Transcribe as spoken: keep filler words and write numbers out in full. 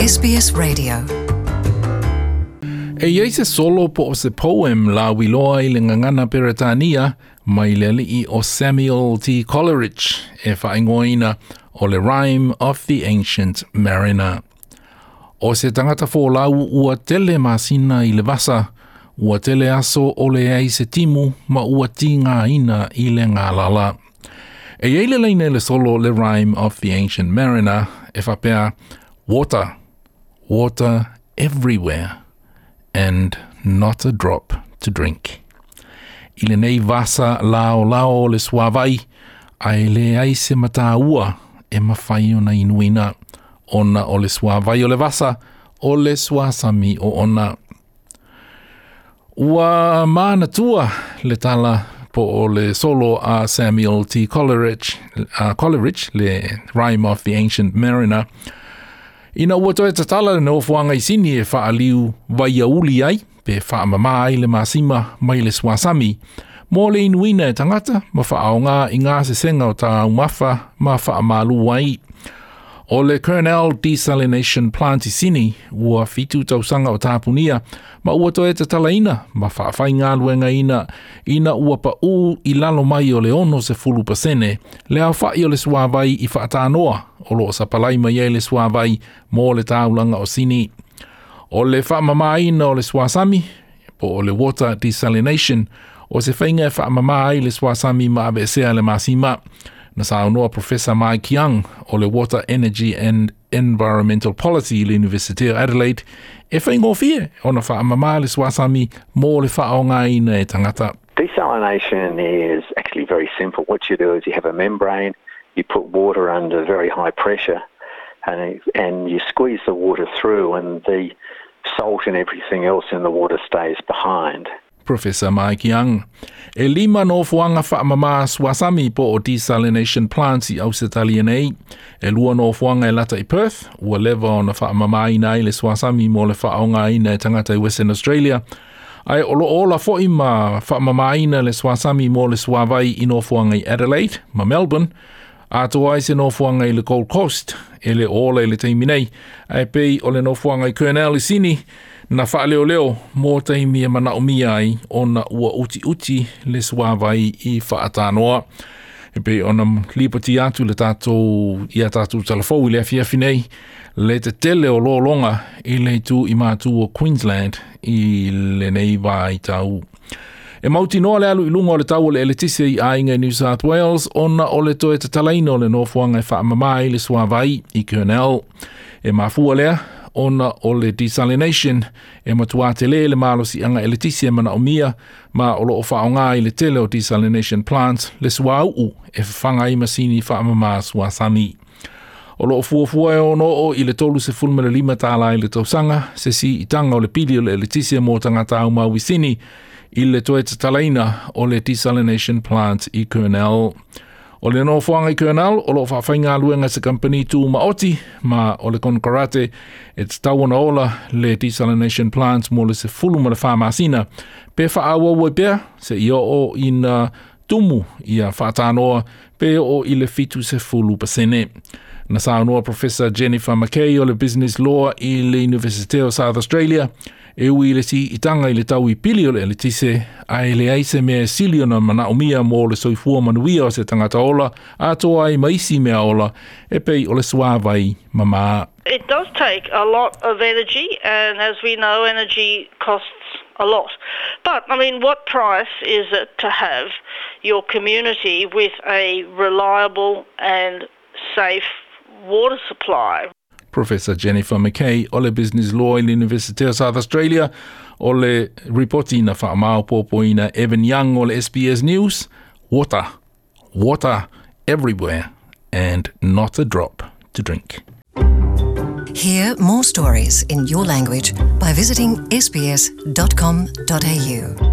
S B S Radio. E iai se solo po o se poem lauiloa i le gagana Peretania mai le alii o Samuel T. Coleridge e faaigoaina o le Rime of the Ancient Mariner. O se tagata folau ua tele masina i le vasa, ua tele aso o leai se timu ma ua tigaina i le galala. E iai le laina i le solo le Rime of the Ancient Mariner e faapea, "Water, water everywhere, and not a drop to drink." I lenei vasa laolao o le suavai, ae leai se mataua e mafai ona inuina, ona o le suavai o le vasa, o le suasami o ona. Ua manatua le tala po o le solo a Samuel T. Coleridge, uh, Coleridge le Rime of the Ancient Mariner, ina ua toe tatala le nofoaga i Sini e faaliu vaiauli ai, pe faamamā ai le masima mai le suasami, mo le inuina e tagata ma faaaogā i gasesega o taumafa ma faamalu ai. O le Kurnell Desalination Plant i Sini ua fitu tausaga o tapunia ma ua toe tatalaina ma faafaigaluegaina ina ua paū i lalo mai o le ono sefulu pasene le aofa'i o le suavai i faatanoa o loo sapalai mai ai le suavai mo le taulaga o Sini. O le faamamāina o le suasami po o le water desalination o se faiga e faamamā ai le suasami ma aveesea le masima. Na saunoa Professor Mike Young o le Water Energy and Environmental Policy i le University of Adelaide e faigofie ona faamamā le suasami mo le faaaogaina e tagata. Desalination is actually very simple. What you do is you have a membrane, you put water under very high pressure, and, and you squeeze the water through, and the salt and everything else in the water stays behind. Professor Mike Young. E lima nofoaga faamamā suasami po o desalination plants i Ausetalia nei. E lua nofoaga e lata i Perth, ua leva ona faamamāina ai le suasami mo le faaaogaina e tagata i Western Australia. Ae o loo ola fo'i ma faamamāina le suasami mo le suavai i nofoaga i Adelaide ma Melbourne, atoa ai se nofoaga i le Gold Coast e le ola i le taimi nei, ae pei o le nofoaga i Kurnell i Sini, na faaleoleo mo taimi e manaomia ai ona ua utiuti le suavai i faatanoa. E pei ona lipoti atu le tatou ia tatou talafou i le afiafi nei, le tetele o lologa i le itu i matu o Queensland i lenei vaitau. E mautinoa le alu i luga o le tau o le eletise i aiga i New South Wales ona o le toe tatalaina o le nofoaga e faamamā ai le suavai i Kurnell. E mafua lea ona o le desalination e matuā telē le malosiaga eletise e manaomia ma o loo faaaogā i le tele o desalination plants le suauu e fafaga ai masini faamamā suasami. O loo fuafua e ono oo i le tolu sefulu ma le lima tālā i le tausaga se siitaga o le pili o le eletise mo tagata aumau i Sini i le toe tatalaina o le desalination plant i Kurnell. O le nofoaga i Kurnell o loo faafaigaluega se kampani tumaoti ma o le konekarate e tatau ona ola le desalination plant mo le sefulu ma le wha masina. Pe faaauau ai pea seia oo ina tumu ia faatanoa pe oo i le fitu sefulu pasene. Na saunoa Professor Jennifer McKay o le Business Law i le University of South Australia e ui i le siitaga i le tau i pili o le eletise ae leai se mea e sili ona manaomia mo le soifua manuia o se tagata ola atoa ai ma isi mea ola e pei o le suavai mamā. It does take a lot of energy, and as we know, energy costs a lot. But, I mean, what price is it to have your community with a reliable and safe water supply? Professor Jennifer McKay o le Business Law i le University of South Australia o le ripoti na faamaopoopoina Evan Young o le S B S News. Water, water everywhere, and not a drop to drink. Hear more stories in your language by visiting S B S dot com dot A U.